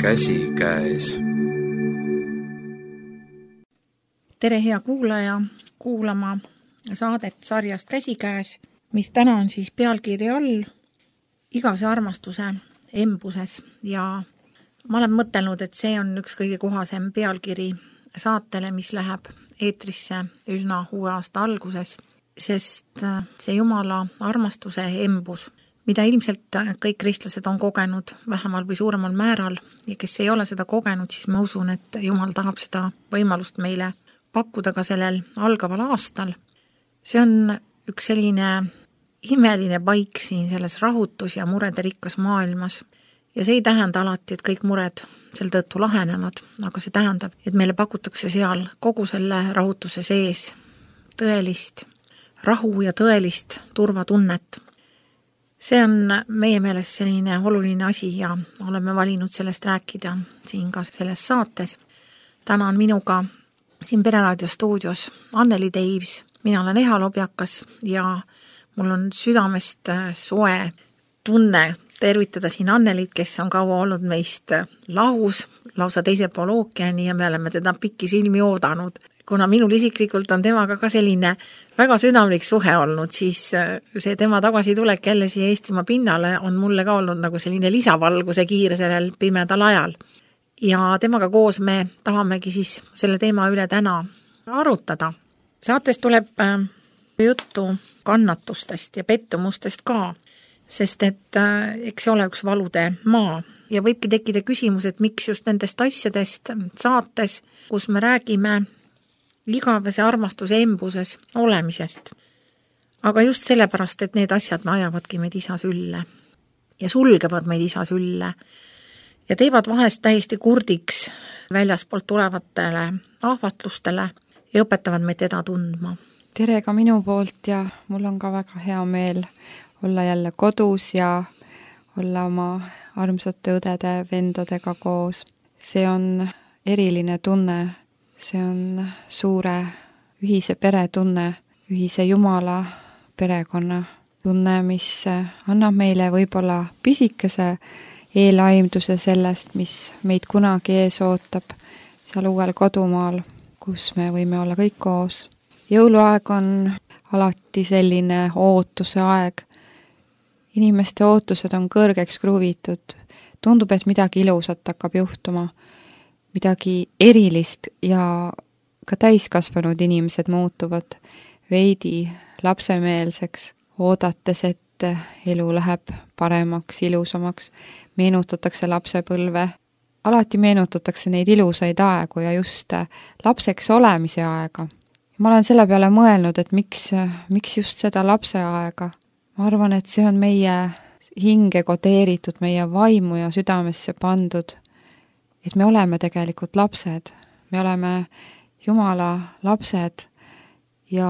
käsikäes. Tere hea kuulaja, kuulama saadet sarjast Käsikäes, mis täna on siis pealkirja all igavese armastuse embuses ja ma olen mõtelnud, et see on üks kõige kohasem pealkiri saatele, mis läheb eetrisse üsna uue aasta alguses, sest see Jumala armastuse embus, mida ilmselt kõik kristlased on kogenud vähemal või suuremal määral ja kes ei ole seda kogenud, siis ma usun, et Jumal tahab seda võimalust meile pakkuda ka sellel algaval aastal. See on üks selline imeline paik siin selles rahutus ja murede rikkas maailmas. Ja see ei tähenda alati, et kõik mured sel tõttu lahenevad, aga see tähendab, et meile pakutakse seal kogu selle rahutuse sees tõelist rahu ja tõelist turvatunnet. See on meie meelest selline oluline asi ja oleme valinud sellest rääkida siin ka selles saates. Täna on minuga siin Pereraadio stuudios Anneli Teivs, mina olen Eha Lobjakas ja mul on südamest soe tunne tervitada siin Annelit, kes on kaua olnud meist lahus, lausa teise pool ookeani ja me oleme teda pikki silmi oodanud. Kuna minul isiklikult on temaga ka selline väga südamlik suhe olnud, siis see tema tagasitulek jälle siia Eestimaa pinnale on mulle ka olnud nagu selline lisavalguse kiire sellel pimedal ajal. Ja temaga koos me tahamegi siis selle teema üle täna arutada. Saates tuleb juttu kannatustest ja pettumustest ka, sest et eks ole üks valude maa ja võibki tekkida küsimus, et miks just nendest asjadest saates, kus me räägime igavese armastuse embuses olemisest. Aga just sellepärast, et need asjad me ajavadki meid isa sülle ja sulgevad meid isa sülle ja teevad vahest täiesti kurdiks väljaspoolt tulevatele ahvatlustele ja õpetavad meid teda tundma. Tere ka minu poolt ja mul on ka väga hea meel olla jälle kodus ja olla oma armsate õdede, vendadega koos. See on eriline tunne, see on suure ühise pere tunne, ühise Jumala perekonna tunne, mis annab meile võib-olla pisikese eelaimduse sellest, mis meid kunagi ees ootab seal uuel kodumaal, kus me võime olla kõik koos. Jõuluaeg on alati selline ootuse aeg. Inimeste ootused on kõrgeks kruvitud. Tundub, et midagi ilusat hakkab juhtuma, midagi erilist ja ka täiskasvanud inimesed muutuvad veidi lapsemeelseks, oodates, et elu läheb paremaks, ilusamaks. Meenutatakse lapsepõlve. Alati meenutatakse neid ilusaid aegu ja just lapseks olemise aega. Ma olen selle peale mõelnud, et miks just seda lapse aega. Ma arvan, et see on meie hinge kodeeritud, meie vaimu ja südamesse pandud, et me oleme tegelikult lapsed. Me oleme Jumala lapsed ja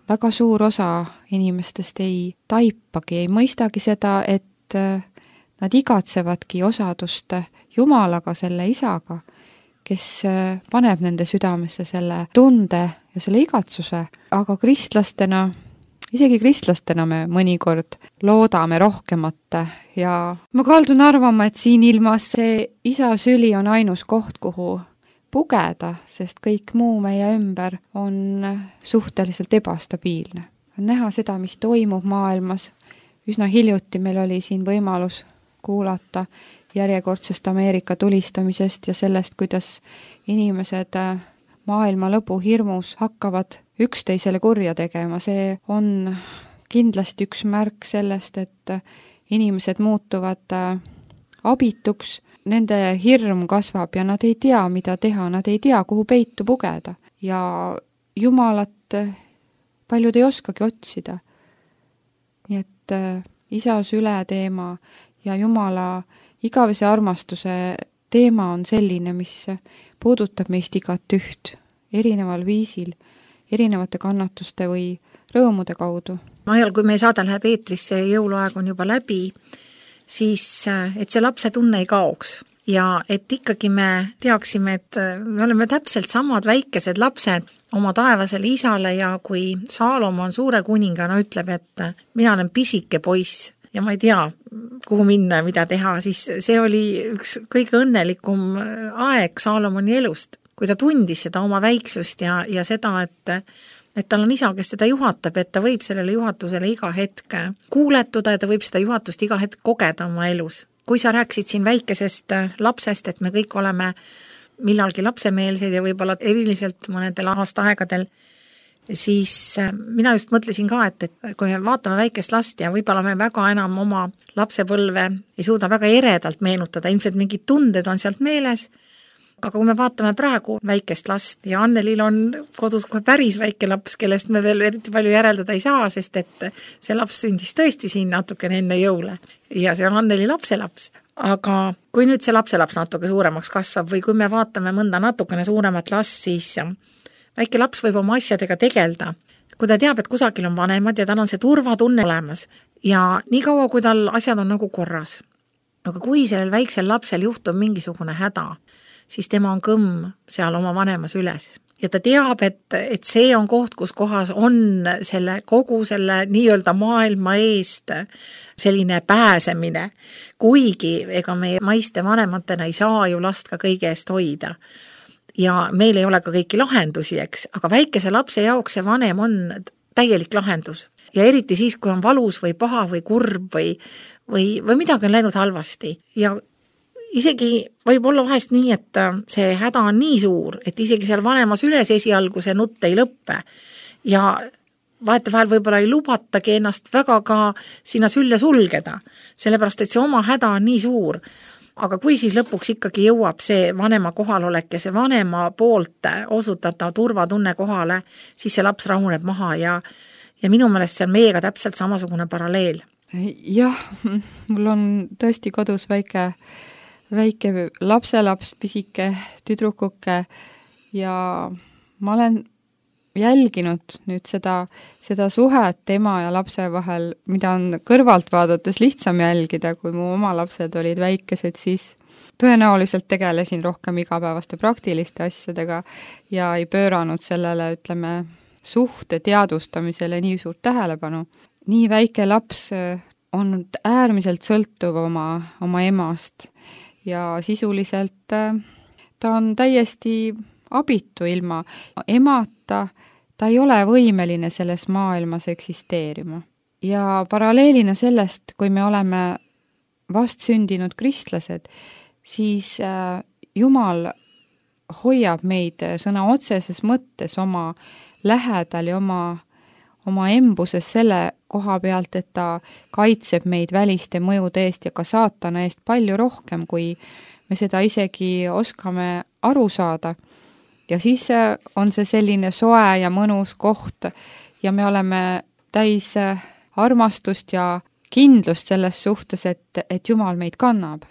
väga suur osa inimestest ei taipagi, ei mõistagi seda, et nad igatsevadki osadust Jumalaga, selle isaga, kes paneb nende südamesse selle tunde ja selle igatsuse, aga isegi kristlastena me mõnikord loodame rohkemat ja ma kaldun arvama, et siin ilmas see isa süli on ainus koht, kuhu pugeda, sest kõik muu meie ümber on suhteliselt ebastabiilne. On näha seda, mis toimub maailmas. Üsna hiljuti meil oli siin võimalus kuulata järjekordsest Ameerika tulistamisest ja sellest, kuidas inimesed maailma lõpu hirmus hakkavad üksteisele kurja tegema. See on kindlasti üks märk sellest, et inimesed muutuvad abituks, nende hirm kasvab ja nad ei tea, mida teha, nad ei tea, kuhu peitu pugeda. Ja Jumalat paljud ei oskagi otsida. Nii et isa süle teema ja Jumala igavese armastuse teema on selline, mis puudutab meist igat üht erineval viisil, erinevate kannatuste või rõõmude kaudu. Ajal, kui meie saade läheb eetrisse ja jõuluaeg on juba läbi, siis et see lapse tunne ei kaoks ja et ikkagi me teaksime, et me oleme täpselt samad väikesed lapsed oma taevasele isale ja kui Saalomon suure kuningana ütleb, et mina olen pisike poiss ja ma ei tea, kuhu minna ja mida teha, siis see oli üks kõige õnnelikum aeg Saalomoni elust, kui ta tundis seda oma väiksust ja seda, et tal on isa, kes teda juhatab, et ta võib sellele juhatusele iga hetk kuuletuda ja ta võib seda juhatust iga hetk kogeda oma elus. Kui sa rääkisid siin väikesest lapsest, et me kõik oleme millalgi lapsemeelsed ja võib-olla eriliselt mõnedel aastaaegadel, siis mina just mõtlesin ka, et kui me vaatame väikest last ja võib-olla me väga enam oma lapsepõlve ei suuda väga eredalt meenutada, ilmselt mingid tunded on sealt meeles, aga kui me vaatame praegu väikest last ja Annelil on kodus kohe päris väike laps, kellest me veel eriti palju järeldada ei saa, sest et see laps sündis tõesti siin natukene enne jõule ja see on Anneli lapselaps. Aga kui nüüd see lapselaps natuke suuremaks kasvab või kui me vaatame mõnda natukene suuremat last, siis väike laps võib oma asjadega tegelda. Kui ta teab, et kusagil on vanemad ja tal on see turvatunne olemas ja nii kaua, kui tal asjad on nagu korras. Aga kui sellel väiksel lapsel juhtub mingisugune häda, siis tema on kõmm seal oma vanemas üles. Ja ta teab, et see on koht, kus kohas on kogu selle nii-öelda maailma eest selline pääsemine. Kuigi ega meie maiste vanematena ei saa ju last ka kõige eest hoida. Ja meil ei ole ka kõiki lahendusi, eks, aga väikese lapse jaoks see vanem on täielik lahendus. Ja eriti siis, kui on valus või paha või kurb või midagi on läinud halvasti. Ja isegi võib olla vahest nii, et see häda on nii suur, et isegi seal vanemas üles esialgu see nutt ei lõppe ja vahetevahel võib-olla ei lubatagi ennast väga ka sinna sülle sulgeda, sellepärast et see oma häda on nii suur. Aga kui siis lõpuks ikkagi jõuab see vanema kohalolek ja see vanema poolt osutatav turvatunne kohale, siis see laps rahuneb maha ja minu meelest see on meiega täpselt samasugune paralleel. Jah, mul on tõesti kodus väike lapselaps, pisike tüdrukuke ja ma olen jälginud nüüd seda suhet tema ja lapse vahel, mida on kõrvalt vaadates lihtsam jälgida, kui mu oma lapsed olid väikesed, siis tõenäoliselt tegelesin rohkem igapäevaste praktiliste asjadega ja ei pööranud sellele, ütleme, suhte teadvustamisele nii suurt tähelepanu. Nii väike laps on äärmiselt sõltuv oma emast ja sisuliselt ta on täiesti abitu ilma emata, ta ei ole võimeline selles maailmas eksisteerima. Ja paralleelina sellest, kui me oleme vastsündinud kristlased, siis Jumal hoiab meid sõna otseses mõttes oma lähedal ja oma embuses selle koha pealt, et ta kaitseb meid väliste mõjude eest ja ka saatana eest palju rohkem, kui me seda isegi oskame aru saada. Ja siis on see selline soe ja mõnus koht ja me oleme täis armastust ja kindlust selles suhtes, et Jumal meid kannab.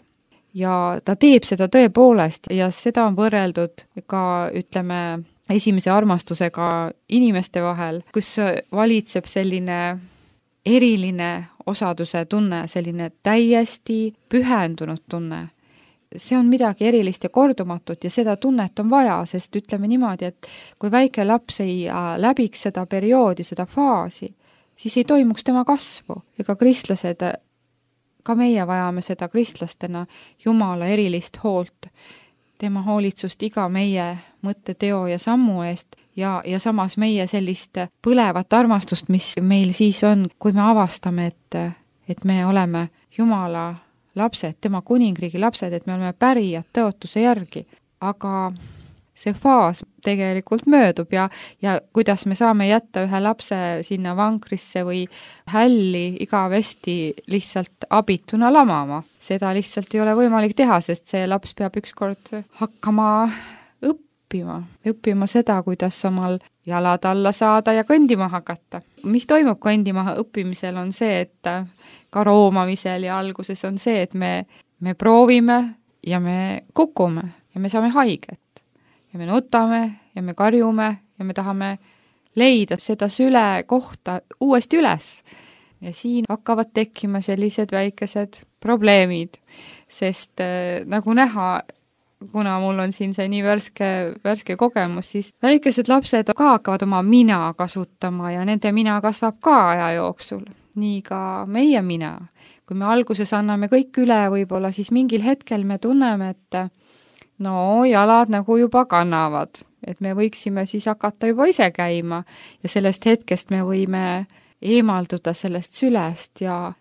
Ja ta teeb seda tõepoolest ja seda on võrreldud ka, ütleme, esimese armastusega inimeste vahel, kus valitseb selline eriline osaduse tunne, selline täiesti pühendunud tunne. See on midagi erilist ja kordumatut ja seda tunnet on vaja, sest ütleme niimoodi, et kui väike laps ei läbiks seda perioodi, seda faasi, siis ei toimuks tema kasvu. Ega kristlased, ka meie vajame seda kristlastena Jumala erilist hoolt, tema hoolitsust iga meie mõtte, teo ja sammu eest ja samas meie sellist põlevat armastust, mis meil siis on, kui me avastame, et me oleme Jumala lapsed, tema kuningriigi lapsed, et me oleme pärijad tõotuse järgi. Aga see faas tegelikult möödub ja kuidas me saame jätta ühe lapse sinna vankrisse või hälli igavesti lihtsalt abituna lamama. Seda lihtsalt ei ole võimalik teha, sest see laps peab ükskord hakkama õppima seda, kuidas omal jalad alla saada ja kõndima hakata. Mis toimub kõndima õppimisel on see, et ka roomamisel ja alguses on see, et me proovime ja me kukume ja me saame haiget. Ja me nutame ja me karjume ja me tahame leida seda süle kohta uuesti üles. Ja siin hakkavad tekkima sellised väikesed probleemid, sest nagu näha, kuna mul on siin see nii värske kogemus, siis väikesed lapsed ka hakkavad oma mina kasutama ja nende mina kasvab ka aja jooksul. nii ka meie mina. Kui me alguses anname kõik üle võib-olla, siis mingil hetkel me tunneme, et no jalad nagu juba kannavad, et me võiksime siis hakata juba ise käima ja sellest hetkest me võime eemalduda sellest sülest ja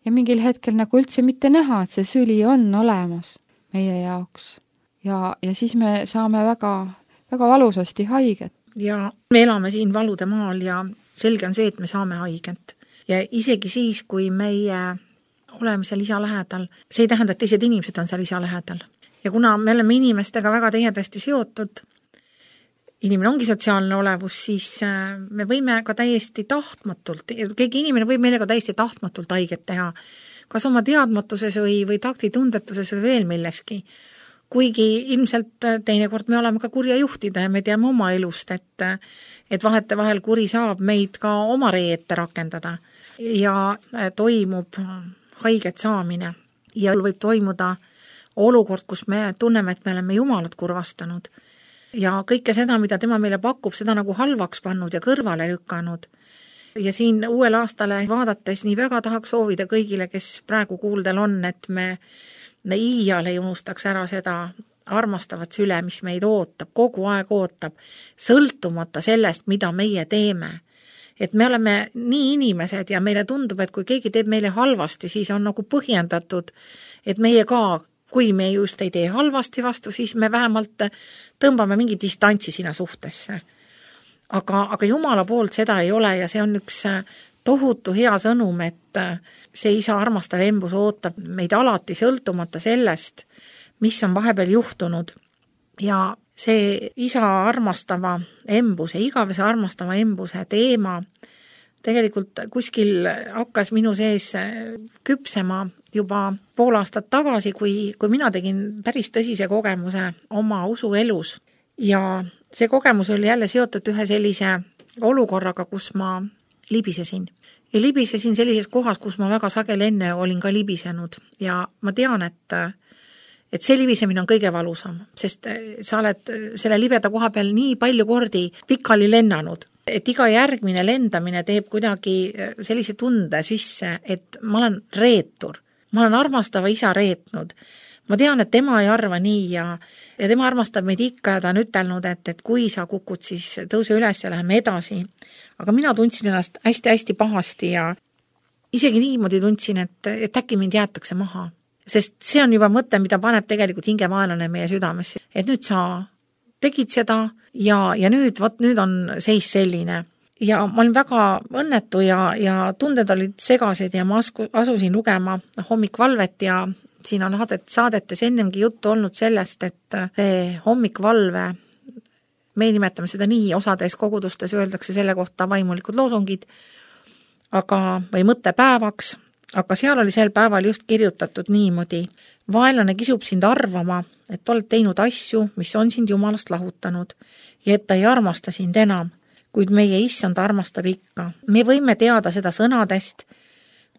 mingil hetkel nagu üldse mitte näha, et see süli on olemas meie jaoks. Ja siis me saame väga, väga valusasti haiget. Ja me elame siin valude maal ja selge on see, et me saame haiget. Ja isegi siis, kui meie oleme seal isa lähedal, see ei tähenda, et teised inimesed on seal isa lähedal. Ja kuna me oleme inimestega väga tihedasti seotud, inimene ongi sotsiaalne olevus, siis me võime ka täiesti tahtmatult, keegi inimene võib meile ka täiesti tahtmatult haiget teha, kas oma teadmatuses või taktitundetuses või veel milleski. Kuigi ilmselt teinekord me oleme ka kurja juhtida ja me teame oma elust, et vahetevahel kuri saab meid ka oma ree ette rakendada ja toimub haiget saamine ja võib toimuda olukord, kus me tunneme, et me oleme Jumalat kurvastanud ja kõike seda, mida tema meile pakub, seda nagu halvaks pannud ja kõrvale lükanud. Ja siin uuel aastale vaadates nii väga tahaks soovida kõigile, kes praegu kuuldel on, et me iial ei unustaks ära seda armastavat süle, mis meid ootab, kogu aeg ootab, sõltumata sellest, mida meie teeme. Et me oleme nii inimesed ja meile tundub, et kui keegi teeb meile halvasti, siis on nagu põhjendatud, et meie ka, kui me just ei tee halvasti vastu, siis me vähemalt tõmbame mingi distantsi sinna suhtesse. Aga Jumala poolt seda ei ole ja see on üks tohutu hea sõnum, et see isa armastav embus ootab meid alati sõltumata sellest, mis on vahepeal juhtunud. Ja see isa armastava embuse, igavese armastava embuse teema tegelikult kuskil hakkas minu sees küpsema juba pool aastat tagasi, kui mina tegin päris tõsise kogemuse oma usuelus. Ja see kogemus oli jälle seotud ühe sellise olukorraga, kus ma libisesin. Ja libisesin sellises kohas, kus ma väga sageli enne olin ka libisenud. Ja ma tean, et see libisemine on kõige valusam, sest sa oled selle libeda koha peal nii palju kordi pikali lennanud, et iga järgmine lendamine teeb kuidagi sellise tunde sisse, et ma olen reetur. Ma olen armastava isa reetnud. Ma tean, et tema ei arva nii ja tema armastab meid ikka ja ta on ütelnud, et kui sa kukud, siis tõuse üles ja läheme edasi. Aga mina tundsin ennast hästi-hästi pahasti ja isegi niimoodi tundsin, et äkki mind jäetakse maha. Sest see on juba mõte, mida paneb tegelikult hingemaelane meie südamesse. Et nüüd sa tegid seda ja nüüd on seis selline. Ja ma olin väga õnnetu ja tunded olid segased ja ma asusin lugema hommikvalvet ja siin on saadetes ennemgi juttu olnud sellest, et see hommikvalve, me nimetame seda nii, osades kogudustes öeldakse selle kohta vaimulikud loosungid, või mõttepäevaks, aga seal oli sel päeval just kirjutatud niimoodi. Vaenlane kisub sind arvama, et oled teinud asju, mis on sind Jumalast lahutanud ja et ta ei armasta sind enam, kuid meie issand armastab ikka. Me võime teada seda sõnadest,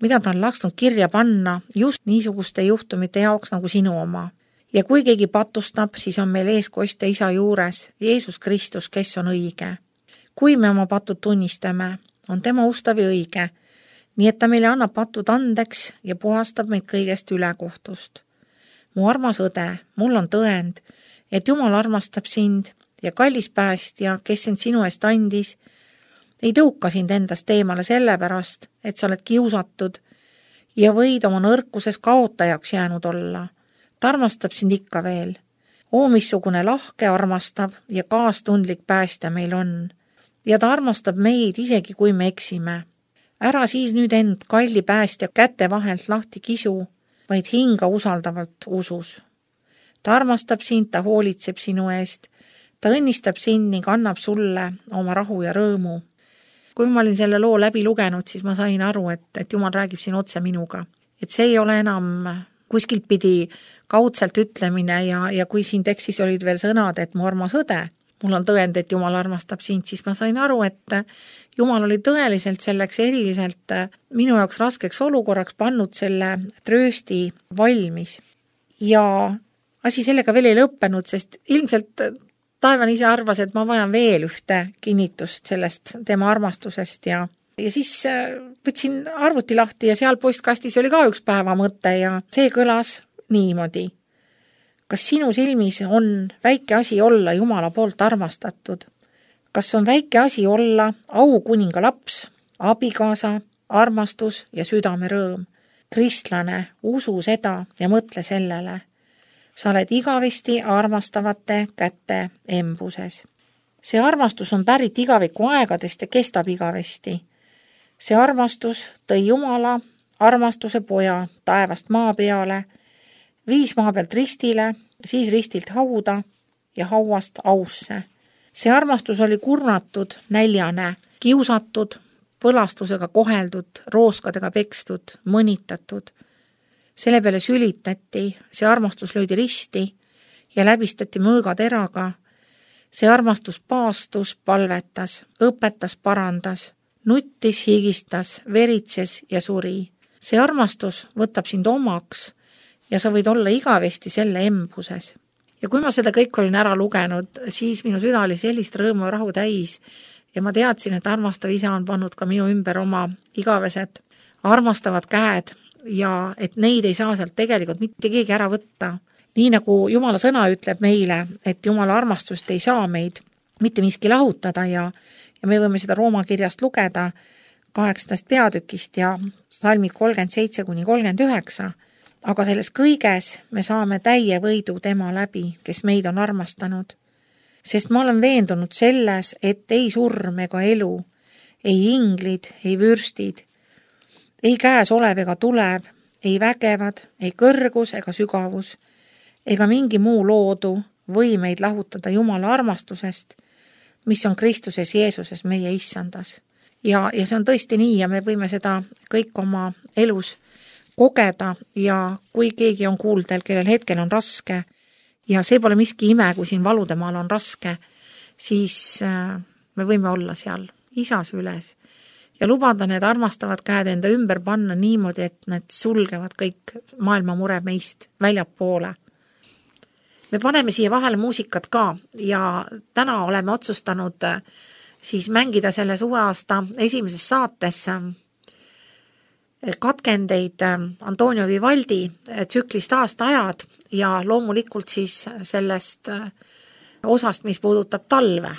mida ta on lasknud kirja panna just niisuguste juhtumite jaoks nagu sinu oma. Ja kui keegi patustab, siis on meil eeskostja isa juures, Jeesus Kristus, kes on õige. Kui me oma patud tunnistame, on tema ustav ja õige, nii et ta meile annab patud andeks ja puhastab meid kõigest ülekohtust. Mu armas õde, mul on tõend, et Jumal armastab sind ja kallis päästja, kes sind sinu eest andis, ei tõuka sind endast eemale sellepärast, et sa oled kiusatud ja võid oma nõrkuses kaotajaks jäänud olla. Ta armastab sind ikka veel. Missugune lahke, armastav ja kaastundlik päästja meil on. Ja ta armastab meid isegi, kui me eksime. Ära siis nüüd end kalli päästja käte vahelt lahti kisu, vaid hinga usaldavalt usus. Ta armastab sind, ta hoolitseb sinu eest, ta õnnistab sind ning annab sulle oma rahu ja rõõmu. Kui ma olin selle loo läbi lugenud, siis ma sain aru, et Jumal räägib siin otse minuga. Et see ei ole enam kuskilt pidi kaudselt ütlemine ja kui siin tekstis olid veel sõnad, et mu armas õde, mul on tõend, et Jumal armastab sind, siis ma sain aru, et Jumal oli tõeliselt selleks eriliselt minu jaoks raskeks olukorraks pannud selle tröösti valmis. Ja asi sellega veel ei lõppenud, sest ilmselt taevane ise arvas, et ma vajan veel ühte kinnitust sellest tema armastusest ja Ja siis võtsin arvuti lahti ja seal postkastis oli ka üks päevamõte ja see kõlas niimoodi. Kas sinu silmis on väike asi olla Jumala poolt armastatud? Kas on väike asi olla aukuninga laps, abikaasa, armastus ja südame rõõm? Kristlane, usu seda ja mõtle sellele. Sa oled igavesti armastavate kätte embuses. See armastus on pärit igaviku aegadest ja kestab igavesti. See armastus tõi Jumala armastuse poja taevast maa peale, viis maa pealt ristile, siis ristilt hauda ja hauast ausse. See armastus oli kurnatud, näljane, kiusatud, põlastusega koheldud, rooskadega pekstud, mõnitatud. Selle peale sülitati, see armastus löödi risti ja läbistati mõõgateraga. See armastus paastus, palvetas, õpetas, parandas, nuttis, higistas, veritses ja suri. See armastus võtab sind omaks ja sa võid olla igavesti selle embuses. Ja kui ma seda kõik olin ära lugenud, siis minu süda oli sellist rõõmu ja rahu täis ja ma teadsin, et armastav isa on pannud ka minu ümber oma igavesed armastavad käed ja et neid ei saa sealt tegelikult mitte keegi ära võtta. Nii nagu Jumala sõna ütleb meile, et Jumala armastust ei saa meid mitte miski lahutada ja me võime seda Rooma kirjast lugeda 8. peatükist ja salmid 37–39, aga selles kõiges me saame täie võidu tema läbi, kes meid on armastanud. Sest ma olen veendunud selles, et ei surm ega elu, ei inglid, ei vürstid, ei käes olev ega tulev, ei vägevad, ei kõrgus ega sügavus, ega mingi muu loodu või meid lahutada Jumala armastusest, mis on Kristuses Jeesuses meie issandas. Ja see on tõesti nii ja me võime seda kõik oma elus kogeda ja kui keegi on kuuldel, kellel hetkel on raske ja see pole miski ime, kui siin valudemaal on raske, siis me võime olla seal isa süles ja lubada need armastavad käed enda ümber panna niimoodi, et need sulgevad kõik maailma mure meist väljapoole. Me paneme siia vahele muusikat ka ja täna oleme otsustanud siis mängida selles uue aasta esimeses saates katkendeid Antonio Vivaldi tsüklist aastaajad ja loomulikult siis sellest osast, mis puudutab talve.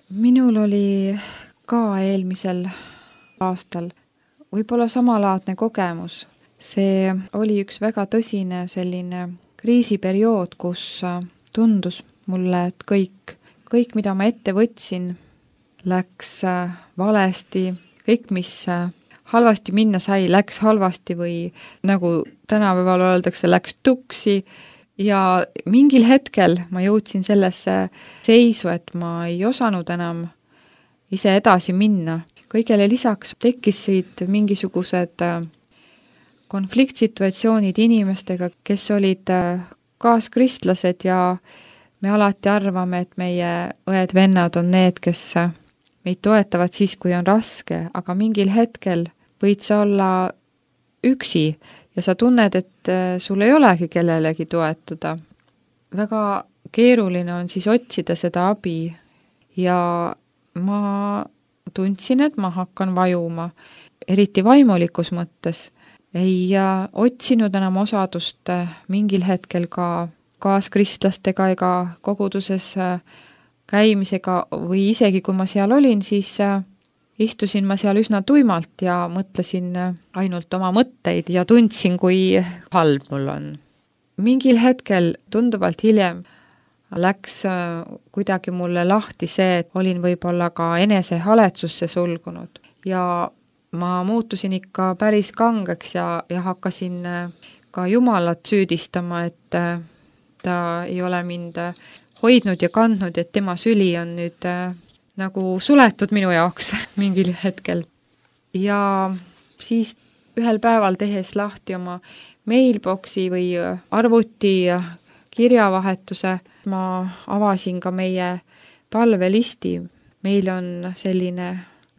minul oli ka eelmisel aastal võib-olla samalaadne kogemus. See oli üks väga tõsine selline kriisiperiood, kus tundus mulle, et kõik, mida ma ette võtsin, läks valesti, kõik, mis halvasti minna sai, läks halvasti või nagu tänapäeval öeldakse, läks tuksi ja mingil hetkel ma jõudsin sellesse seisu, et ma ei osanud enam ise edasi minna. Kõigele lisaks tekkisid mingisugused konfliktsituatsioonid inimestega, kes olid kaaskristlased ja me alati arvame, et meie õed-vennad on need, kes meid toetavad siis, kui on raske, aga mingil hetkel võid sa olla üksi ja sa tunned, et sul ei olegi kellelegi toetuda. Väga keeruline on siis otsida seda abi ja ma tundsin, et ma hakkan vajuma, eriti vaimulikus mõttes. Ei otsinud enam osadust mingil hetkel ka kaaskristlastega ega koguduses käimisega või isegi kui ma seal olin, siis istusin ma seal üsna tuimalt ja mõtlesin ainult oma mõtteid ja tundsin, kui halb mul on. Mingil hetkel, tunduvalt hiljem, läks kuidagi mulle lahti see, et olin võib-olla ka enesehaletsusse sulgunud ja ma muutusin ikka päris kangeks ja hakkasin ka Jumalat süüdistama, et ta ei ole mind hoidnud ja kandnud, et tema süli on nüüd nagu suletud minu jaoks mingil hetkel. Ja siis ühel päeval tehes lahti oma mailboxi või arvuti kirjavahetuse, ma avasin ka meie palvelisti. Meil on selline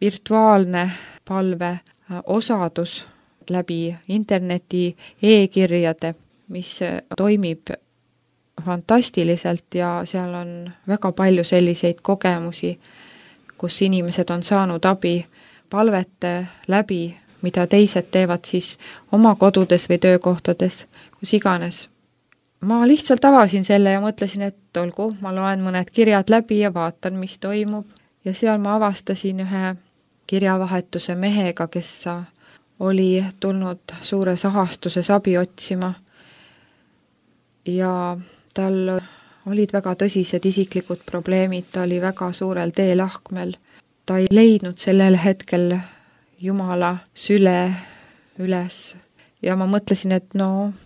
virtuaalne palveosadus läbi interneti e-kirjade, mis toimib fantastiliselt ja seal on väga palju selliseid kogemusi, kus inimesed on saanud abi palvete läbi, mida teised teevad siis oma kodudes või töökohtades, kus iganes. Ma lihtsalt avasin selle ja mõtlesin, et olgu, ma loen mõned kirjad läbi ja vaatan, mis toimub. Ja seal ma avastasin ühe kirjavahetuse mehega, kes oli tulnud suures ahastuses abi otsima. Ja tal olid väga tõsised isiklikud probleemid, ta oli väga suurel teelahkmel. Ta ei leidnud sellel hetkel Jumala süle üles. Ja ma mõtlesin, et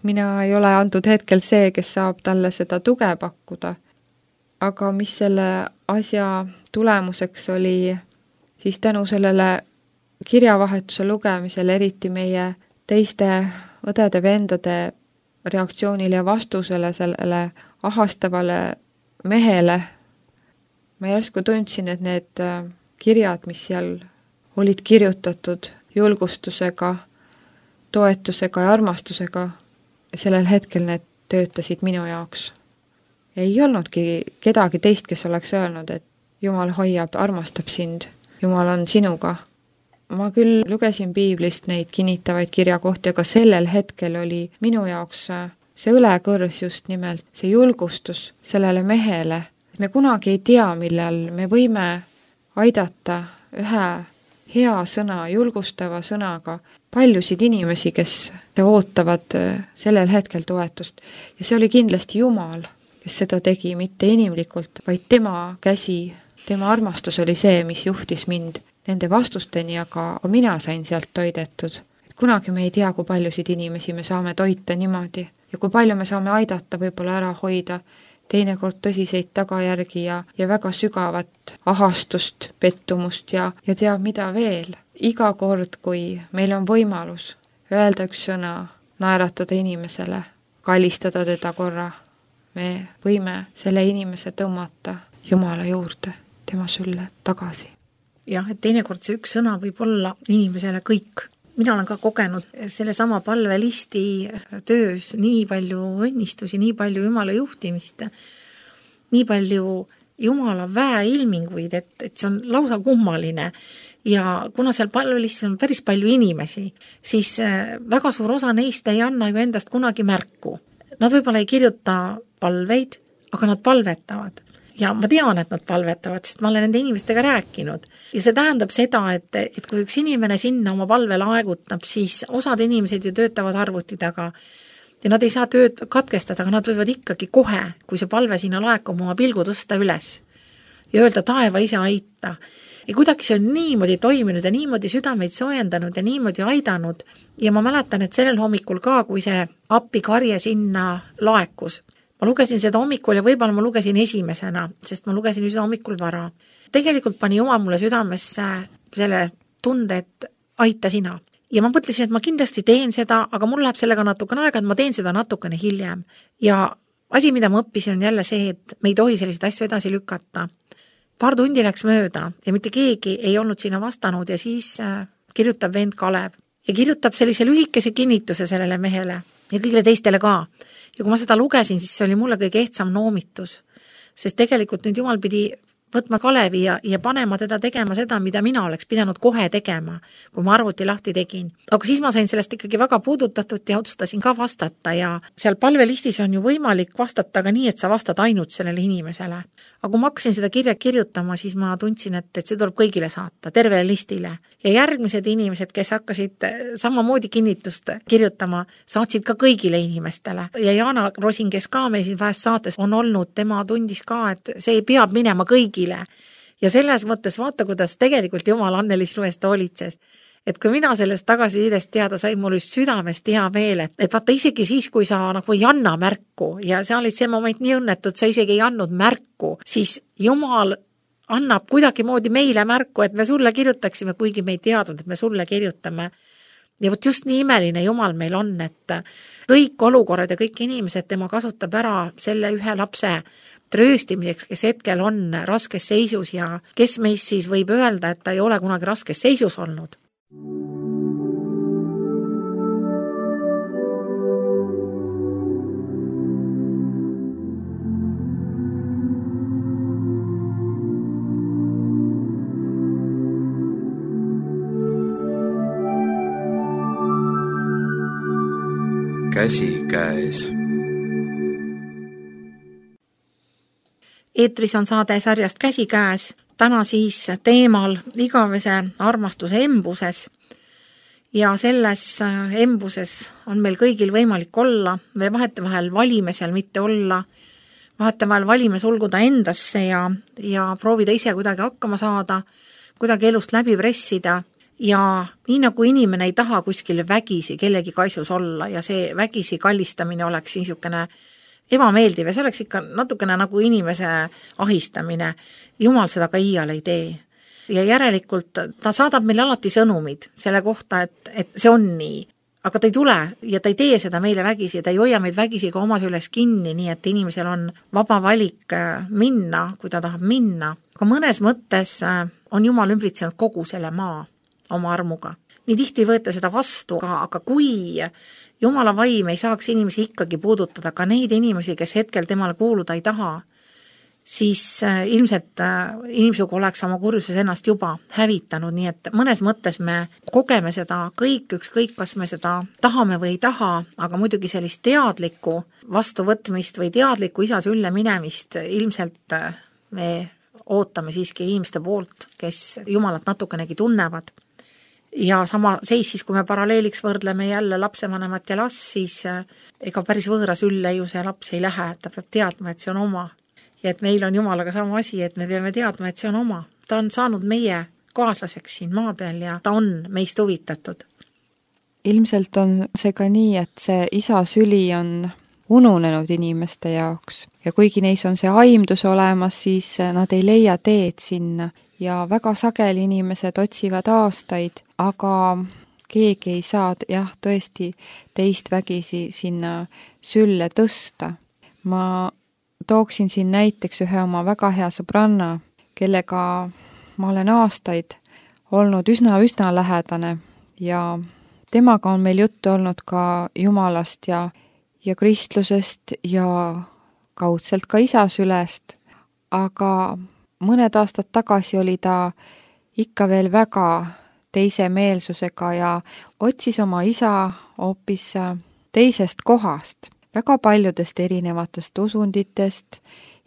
mina ei ole antud hetkel see, kes saab talle seda tuge pakkuda. Aga mis selle asja tulemuseks oli, siis tänu sellele kirjavahetuse lugemisele, eriti meie teiste õdede-vendade reaktsioonile ja vastusele sellele ahastavale mehele, ma järsku tundsin, et need kirjad, mis seal olid kirjutatud julgustusega, toetusega ja armastusega, sellel hetkel need töötasid minu jaoks. Ei olnudki kedagi teist, kes oleks öelnud, et Jumal hoiab, armastab sind, Jumal on sinuga. Ma küll lugesin piiblist neid kinnitavaid kirjakohti, aga sellel hetkel oli minu jaoks see õlekõrs just nimelt, see julgustus sellele mehele. Me kunagi ei tea, millal me võime aidata ühe hea sõna, julgustava sõnaga paljusid inimesi, kes ootavad sellel hetkel toetust. Ja see oli kindlasti Jumal, kes seda tegi, mitte inimlikult, vaid tema käsi, tema armastus oli see, mis juhtis mind nende vastusteni, aga mina sain sealt toidetud. Et kunagi me ei tea, kui paljusid inimesi me saame toita niimoodi ja kui palju me saame aidata võib-olla ära hoida teinekord tõsiseid tagajärgi ja väga sügavat ahastust, pettumust ja teab mida veel. Iga kord, kui meil on võimalus öelda üks sõna, naeratada inimesele, kallistada teda korra, me võime selle inimese tõmmata Jumala juurde, tema sülle tagasi. Jah, et teinekord see üks sõna võib olla inimesele kõik. Mina olen ka kogenud selle sama palvelisti töös nii palju õnnistusi, nii palju Jumala juhtimist, nii palju Jumala väeilminguid, et see on lausa kummaline. Ja kuna seal palvelistis on päris palju inimesi, siis väga suur osa neist ei anna ju endast kunagi märku. Nad võib-olla ei kirjuta palveid, aga nad palvetavad. ja ma tean, et nad palvetavad, sest ma olen nende inimestega rääkinud. Ja see tähendab seda, et kui üks inimene sinna oma palve laegutab, siis osad inimesed ju töötavad arvuti taga ja nad ei saa tööd katkestada, aga nad võivad ikkagi kohe, kui see palve sinna laekub, oma pilgu tõsta üles ja öelda taeva ise aita. Ja kuidagi see on niimoodi toiminud ja niimoodi südameid soojendanud ja niimoodi aidanud ja ma mäletan, et sellel hommikul ka, kui see appikarje sinna laekus, ma lugesin seda hommikul ja võib-olla ma lugesin esimesena, sest ma lugesin üsna hommikul vara. Tegelikult pani Jumal mulle südamesse selle tunde, et aita sina. Ja ma mõtlesin, et ma kindlasti teen seda, aga mul läheb sellega natukene aega, et ma teen seda natukene hiljem. Ja asi, mida ma õppisin, on jälle see, et me ei tohi selliseid asju edasi lükata. Paar tundi läks mööda ja mitte keegi ei olnud sinna vastanud ja siis kirjutab vend Kalev ja kirjutab sellise lühikese kinnituse sellele mehele ja kõigile teistele ka. Ja kui ma seda lugesin, siis see oli mulle kõige ehtsam noomitus, sest tegelikult nüüd Jumal pidi võtma Kalevi ja panema teda tegema seda, mida mina oleks pidanud kohe tegema, kui ma arvuti lahti tegin. Aga siis ma sain sellest ikkagi väga puudutatud ja otsustasin ka vastata ja seal palvelistis on ju võimalik vastata ka nii, et sa vastad ainult sellele inimesele. Aga kui ma hakkasin seda kirja kirjutama, siis ma tundsin, et see tuleb kõigile saata, tervele listile. Ja järgmised inimesed, kes hakkasid samamoodi kinnitust kirjutama, saatsid ka kõigile inimestele. Ja Jaana Rosin, kes ka meil siin vahest saates on olnud, tema tundis ka, et see peab minema kõigile. Ja selles mõttes vaata, kuidas tegelikult Jumal Annelis Luest hoolitses. Et kui mina sellest tagasisidest teada sain, mul just südamest hea meel, et vaata isegi siis, kui sa nagu ei anna märku ja see oli see moment nii õnnetud, sa isegi ei andnud märku, siis Jumal annab kuidagi moodi meile märku, et me sulle kirjutaksime, kuigi me ei teadnud, et me sulle kirjutame. Ja võt just nii imeline Jumal meil on, et kõik olukorrad ja kõik inimesed tema kasutab ära selle ühe lapse trööstimiseks, kes hetkel on raskes seisus ja kes meist siis võib öelda, et ta ei ole kunagi raskes seisus olnud. Käsikäes. Eetris on saade sarjast Käsikäes, täna siis teemal igavese armastuse embuses ja selles embuses on meil kõigil võimalik olla, me vahetevahel valime seal mitte olla, vahetevahel valime sulguda endasse ja proovida ise kuidagi hakkama saada, kuidagi elust läbi pressida ja nii nagu inimene ei taha kuskil vägisi kellegi kaisus olla ja see vägisi kallistamine oleks niisugune ebameeldiv ja see oleks ikka natukene nagu inimese ahistamine. Jumal seda ka iial ei tee. Ja järelikult ta saadab meile alati sõnumid selle kohta, et see on nii. Aga ta ei tule ja ta ei tee seda meile vägisi, ta ei hoia meid vägisi ka oma süles kinni, nii et inimesel on vaba valik minna, kui ta tahab minna. Aga mõnes mõttes on Jumal ümbritsenud kogu selle maa oma armuga. Nii tihti ei võeta seda vastu, aga kui Jumala vaim ei saaks inimesi ikkagi puudutada, ka neid inimesi, kes hetkel temale kuuluda ei taha, siis ilmselt inimsugu oleks oma kurjuses ennast juba hävitanud, nii et mõnes mõttes me kogeme seda ükskõik, kas me seda tahame või ei taha, aga muidugi sellist teadlikku vastuvõtmist või teadlikku isa sülle minemist ilmselt me ootame siiski inimeste poolt, kes Jumalat natukenegi tunnevad. Ja sama seis siis, kui me paralleeliks võrdleme jälle lapsevanemat ja last, siis ega päris võõras ülle ju see laps ei lähe, ta peab teadma, et see on oma. Ja et meil on Jumalaga sama asi, et me peame teadma, et see on oma. Ta on saanud meie kaaslaseks siin maa peal ja ta on meist huvitatud. Ilmselt on see ka nii, et see isa süli on ununenud inimeste jaoks ja kuigi neis on see aimdus olemas, siis nad ei leia teed sinna ja väga sageli inimesed otsivad aastaid, aga keegi ei saa tõesti teist vägisi sinna sülle tõsta. Ma tooksin siin näiteks ühe oma väga hea sõbranna, kellega ma olen aastaid olnud üsna lähedane ja temaga on meil juttu olnud ka Jumalast ja kristlusest ja kaudselt ka isa sülest, aga mõned aastad tagasi oli ta ikka veel väga teise meelsusega ja otsis oma isa hoopis teisest kohast, väga paljudest erinevatest usunditest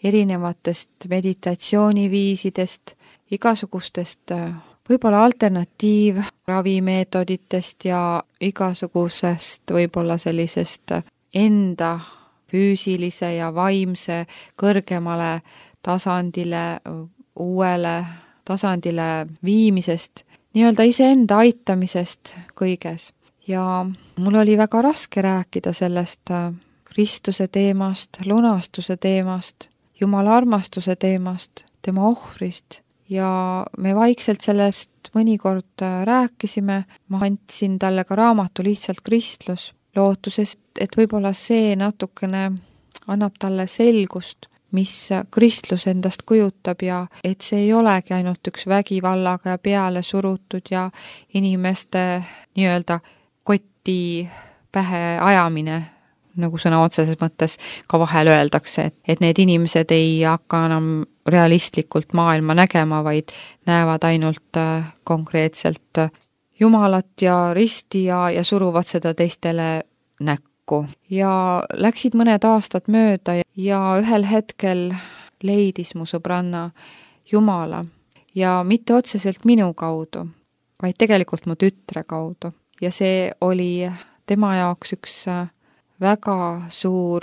erinevatest meditatsiooniviisidest, igasugustest võib-olla alternatiivravimeetoditest ja igasugusest võib-olla sellisest enda füüsilise ja vaimse kõrgemale tasandile, uuele tasandile viimisest, nii-öelda iseenda aitamisest kõiges. Ja mul oli väga raske rääkida sellest Kristuse teemast, lunastuse teemast, Jumala armastuse teemast, tema ohvrist ja me vaikselt sellest mõnikord rääkisime, ma andsin talle ka raamatu Lihtsalt kristlus, lootuses, et võib-olla see natukene annab talle selgust, mis kristlus endast kujutab ja et see ei olegi ainult üks vägivallaga ja peale surutud ja inimeste nii-öelda kotti pähe ajamine, nagu sõna otseses mõttes ka vahel öeldakse, et need inimesed ei hakka enam realistlikult maailma nägema, vaid näevad ainult konkreetselt Jumalat ja risti ja suruvad seda teistele näkku. Ja läksid mõned aastad mööda ja ühel hetkel leidis mu sõbranna Jumala ja mitte otseselt minu kaudu, vaid tegelikult mu tütre kaudu. Ja see oli tema jaoks üks väga suur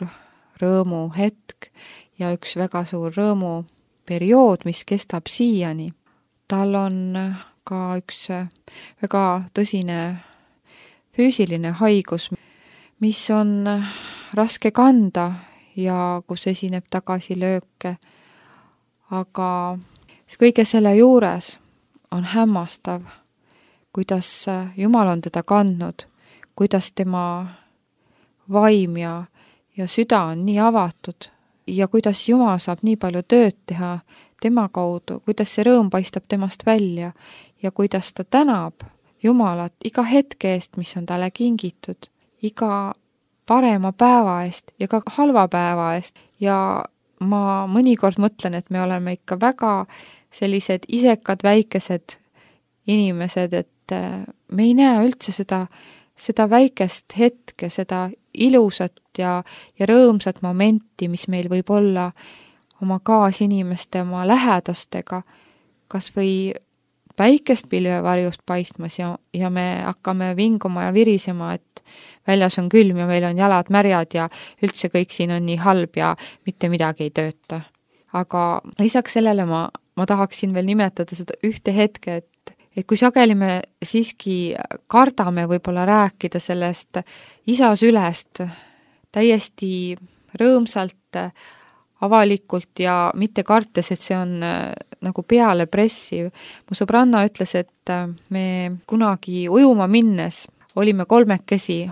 rõõmuhetk ja üks väga suur rõõmuperiood, mis kestab siiani. Tal on ka üks väga tõsine füüsiline haigus, mis on raske kanda ja kus esineb tagasilööke. Aga kõige selle juures on hämmastav, kuidas Jumal on teda kandnud, kuidas tema vaim ja süda on nii avatud ja kuidas Jumal saab nii palju tööd teha tema kaudu, kuidas see rõõm paistab temast välja ja kuidas ta tänab Jumalat iga hetke eest, mis on talle kingitud, iga parema päeva eest ja ka halva päeva eest. Ja ma mõnikord mõtlen, et me oleme ikka väga sellised isekad väikesed inimesed, et me ei näe üldse seda väikest hetke, seda ilusat ja rõõmsat momenti, mis meil võib olla oma kaasinimeste, oma lähedastega, kas või päikest pilvevarjust paistmas ja me hakkame vinguma ja virisema, et väljas on külm ja meil on jalad märjad ja üldse kõik siin on nii halb ja mitte midagi ei tööta. Aga lisaks sellele ma tahaksin veel nimetada seda ühte hetke, et kui sageli me siiski kardame võib-olla rääkida sellest isa sülest täiesti rõõmsalt, avalikult ja mitte kartes, et see on nagu peale pressiv. Mu sõbranna ütles, et me kunagi ujuma minnes olime kolmekesi.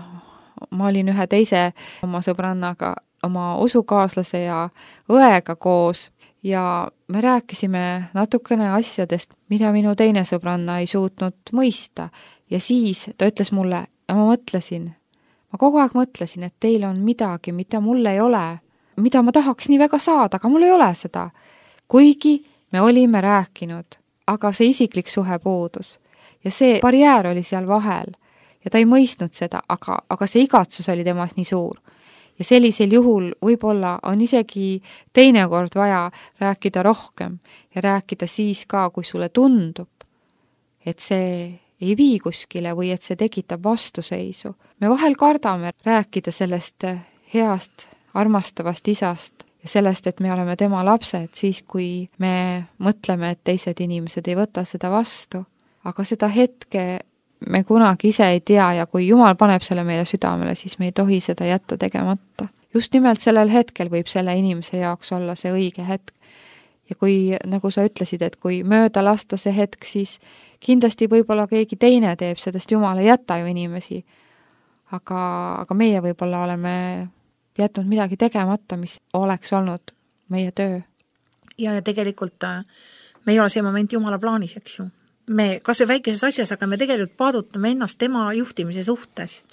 Ma olin ühe teise oma sõbrannaga, oma usukaaslase ja õega koos ja me rääkisime natukene asjadest, mida minu teine sõbranna ei suutnud mõista. Ja siis ta ütles mulle, ja ma kogu aeg mõtlesin, et teil on midagi, mida mul ei ole, mida ma tahaks nii väga saada, aga mul ei ole seda. Kuigi me olime rääkinud, aga see isiklik suhe puudus. Ja see barjäär oli seal vahel ja ta ei mõistnud seda, aga see igatsus oli temas nii suur. Ja sellisel juhul võib-olla on isegi teinekord vaja rääkida rohkem ja rääkida siis ka, kui sulle tundub, et see ei vii kuskile või et see tekitab vastuseisu. Me vahel kardame rääkida sellest heast, armastavast isast ja sellest, et me oleme tema lapsed, siis kui me mõtleme, et teised inimesed ei võta seda vastu. Aga seda hetke me kunagi ise ei tea ja kui Jumal paneb selle meile südamele, siis me ei tohi seda jätta tegemata. Just nimelt sellel hetkel võib selle inimese jaoks olla see õige hetk. Ja kui, nagu sa ütlesid, et kui mööda lasta see hetk, siis kindlasti võib-olla keegi teine teeb, sedest Jumal ei jäta ju inimesi. Aga meie võib-olla oleme jätnud midagi tegemata, mis oleks olnud meie töö. Ja tegelikult me ei ole see moment Jumala plaanis, eks ju. Me kas või väikeses asjas, aga me tegelikult paadutame ennast tema juhtimise suhtes.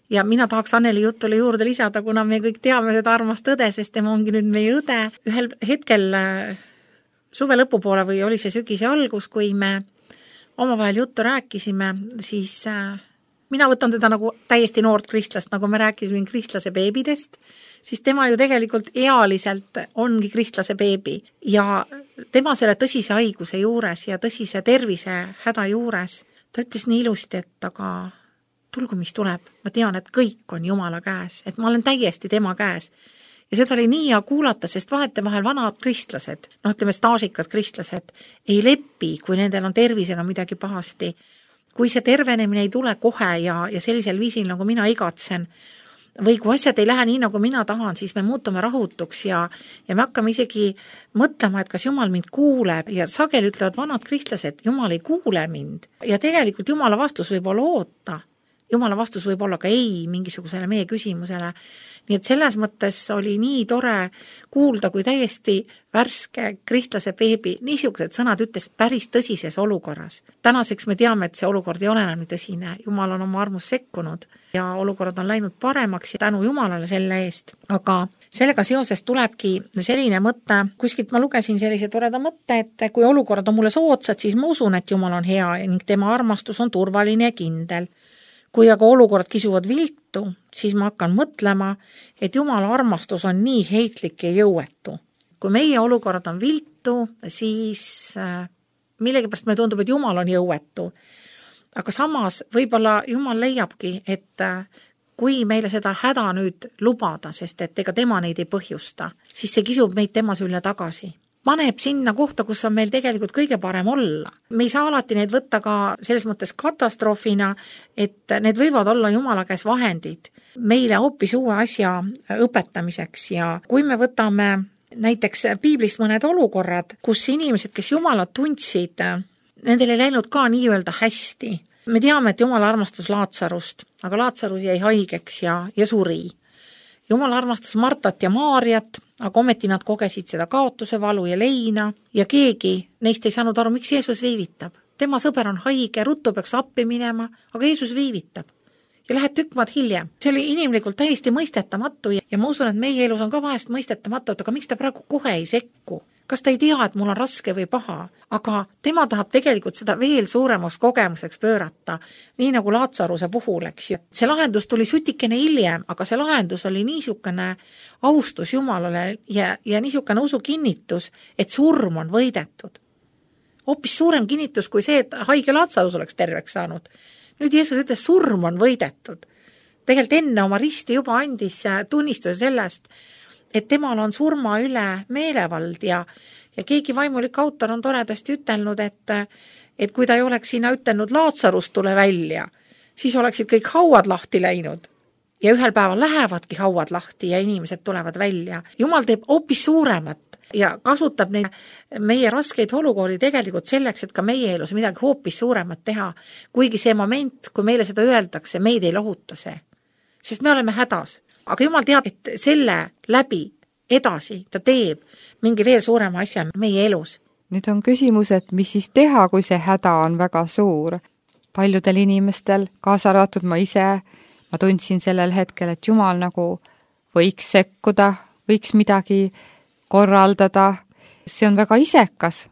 Ja mina tahaks Anneli jutule juurde lisada, kuna me kõik teame seda armast õde, sest tema ongi nüüd meie õde. Ühel hetkel suve lõpupoole või oli see sügise algus, kui me omavahel juttu rääkisime, siis mina võtan teda nagu täiesti noort kristlast, nagu me rääkisime kristlase beebidest, siis tema ju tegelikult ealiselt ongi kristlase beebi ja tema selle tõsise haiguse juures ja tõsise tervise häda juures, ta ütles nii ilusti, et aga tulgu, mis tuleb, ma tean, et kõik on Jumala käes, et ma olen täiesti tema käes. Ja seda oli nii hea kuulata, sest vahetevahel vanad kristlased, ütleme staažikad kristlased, ei lepi, kui nendel on tervisega midagi pahasti. Kui see tervenemine ei tule kohe ja sellisel viisil, nagu mina igatsen, või kui asjad ei lähe nii, nagu mina tahan, siis me muutume rahutuks ja me hakkame isegi mõtlema, et kas Jumal mind kuuleb ja sageli ütlevad vanad kristlased, Jumal ei kuule mind. Ja tegelikult Jumala vastus võib olla oota. Jumala vastus võib olla ka ei mingisugusele meie küsimusele. Nii et selles mõttes oli nii tore kuulda, kui täiesti värske kristlase beebi niisugused sõnad ütles päris tõsises olukorras. Tänaseks me teame, et see olukord ei ole enam nii tõsine. Jumal on oma armus sekkunud ja olukorrad on läinud paremaks ja tänu Jumalale selle eest. Aga sellega seoses tulebki selline mõte, kuskilt ma lugesin sellise toreda mõtte, et kui olukorrad on mulle soodsad, siis ma usun, et Jumal on hea ning tema armastus on turvaline ja kindel. Kui aga olukorrad kisuvad viltu, siis ma hakkan mõtlema, et Jumala armastus on nii heitlik ja jõuetu. Kui meie olukorrad on viltu, siis millegipärast me tundub, et Jumal on jõuetu. Aga samas võib-olla Jumal leiabki, et kui meile seda häda nüüd lubada, sest et ega tema neid ei põhjusta, siis see kisub meid tema sülle tagasi. Paneb sinna kohta, kus on meil tegelikult kõige parem olla. Me ei saa alati neid võtta ka selles mõttes katastroofina, et need võivad olla Jumala käes vahendid meile hoopis uue asja õpetamiseks ja kui me võtame näiteks piiblist mõned olukorrad, kus inimesed, kes Jumalat tundsid, nendel ei läinud ka nii-öelda hästi. Me teame, et Jumal armastas Laatsarust, aga Laatsarus jäi haigeks ja suri. Jumal armastas Martat ja Maariat, aga ometi nad kogesid seda kaotuse valu ja leina ja keegi neist ei saanud aru, miks Jeesus viivitab. Tema sõber on haige, ruttu peaks appi minema, aga Jeesus viivitab ja läheb tükk maad hiljem. See oli inimlikult täiesti mõistetamatu ja ma usun, et meie elus on ka vahest mõistetamatu, aga miks ta praegu kohe ei sekku? Kas ta ei tea, et mul on raske või paha? Aga tema tahab tegelikult seda veel suuremaks kogemuseks pöörata, nii nagu Laatsaruse puhul, eks ju. See lahendus tuli sutikene hiljem, aga see lahendus oli niisugune austus Jumalale ja niisugune usu kinnitus, et surm on võidetud. Hoopis suurem kinnitus kui see, et haige Laatsarus oleks terveks saanud. Nüüd Jeesus ütles, surm on võidetud. Tegelikult enne oma risti juba andis tunnistuse sellest, et temal on surma üle meelevald ja keegi vaimulik autor on toredasti ütelnud, et kui ta ei oleks sinna ütelnud Laatsarust tule välja, siis oleksid kõik hauad lahti läinud. Ja ühel päeval lähevadki hauad lahti ja inimesed tulevad välja. Jumal teeb hoopis suuremat ja kasutab neid meie raskeid olukordi tegelikult selleks, et ka meie elus midagi hoopis suuremat teha. Kuigi see moment, kui meile seda öeldakse, meid ei lohuta see. Sest me oleme hädas. Aga Jumal teab, et selle läbi edasi ta teeb mingi veel suurema asja meie elus. Nüüd on küsimus, et mis siis teha, kui see häda on väga suur. Paljudel inimestel, kaasa arvatud ma ise, ma tundsin sellel hetkel, et Jumal nagu võiks sekkuda, võiks midagi korraldada. See on väga isekas.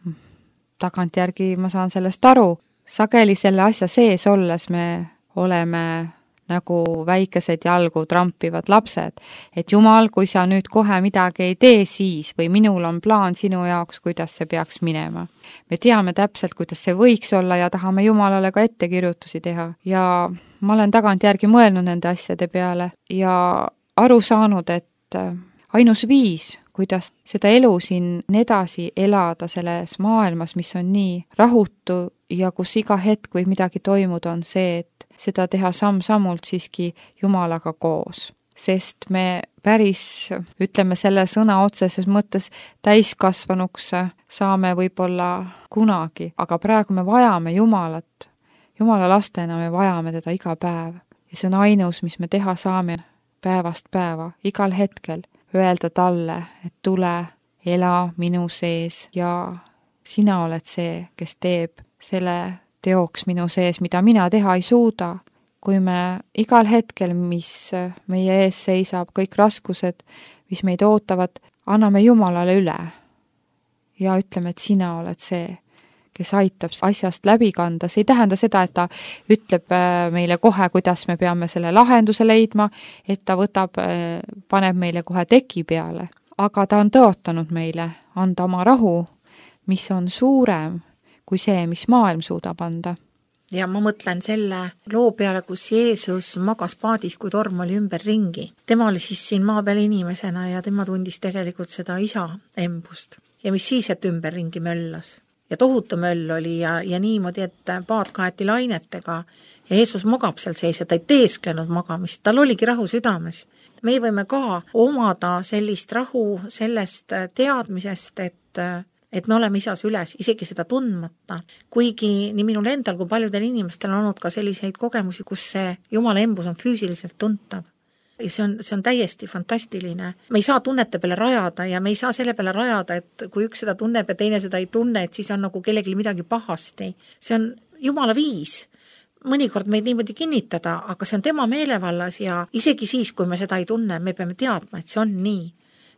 Tagantjärgi ma saan sellest aru. Sageli selle asja sees olles me oleme nagu väikesed jalgu trampivad lapsed, et Jumal, kui sa nüüd kohe midagi ei tee siis või minul on plaan sinu jaoks, kuidas see peaks minema. Me teame täpselt, kuidas see võiks olla ja tahame Jumalale ka ettekirjutusi teha ja ma olen tagantjärgi mõelnud nende asjade peale ja aru saanud, et ainus viis, kuidas seda elu siin edasi elada selles maailmas, mis on nii rahutu ja kus iga hetk võib midagi toimuda, on see, et seda teha samm-sammult siiski Jumalaga koos. Sest me päris, ütleme selle sõna otseses mõttes täiskasvanuks saame võib-olla kunagi, aga praegu me vajame Jumalat. Jumala lastena me vajame teda iga päev. Ja see on ainus, mis me teha saame päevast päeva, igal hetkel. Öelda talle, et tule, ela minu sees ja sina oled see, kes teeb selle teoks minu sees, mida mina teha ei suuda. Kui me igal hetkel, mis meie ees seisab, kõik raskused, mis meid ootavad, anname Jumalale üle ja ütleme, et sina oled see, kes aitab asjast läbi kanda. See ei tähenda seda, et ta ütleb meile kohe, kuidas me peame selle lahenduse leidma, et ta paneb meile kohe teki peale. Aga ta on tõotanud meile anda oma rahu, mis on suurem kui see, mis maailm suudab anda. Ja ma mõtlen selle loo peale, kus Jeesus magas paadis, kui torm oli ümber ringi. Tema oli siis siin maa peal inimesena ja tema tundis tegelikult seda isa embust. Ja mis siis, et ümber ringi möllas. Ja tohutu möll oli ja niimoodi, et paad kaeti lainetega ja Jeesus magab seal sees ja ta ei teesklenud magamist, tal oligi rahu südames. Me võime ka omada sellist rahu sellest teadmisest, et me oleme isas üles, isegi seda tundmata. Kuigi nii minul endal kui paljudel inimestel on olnud ka selliseid kogemusi, kus see Jumala embus on füüsiliselt tuntav. Ja see on täiesti fantastiline. Me ei saa tunnete peale rajada ja me ei saa selle peale rajada, et kui üks seda tunneb ja teine seda ei tunne, et siis on nagu kellelgi midagi pahasti. See on Jumala viis. Mõnikord meid niimoodi kinnitada, aga see on tema meelevallas ja isegi siis, kui me seda ei tunne, me peame teadma, et see on nii.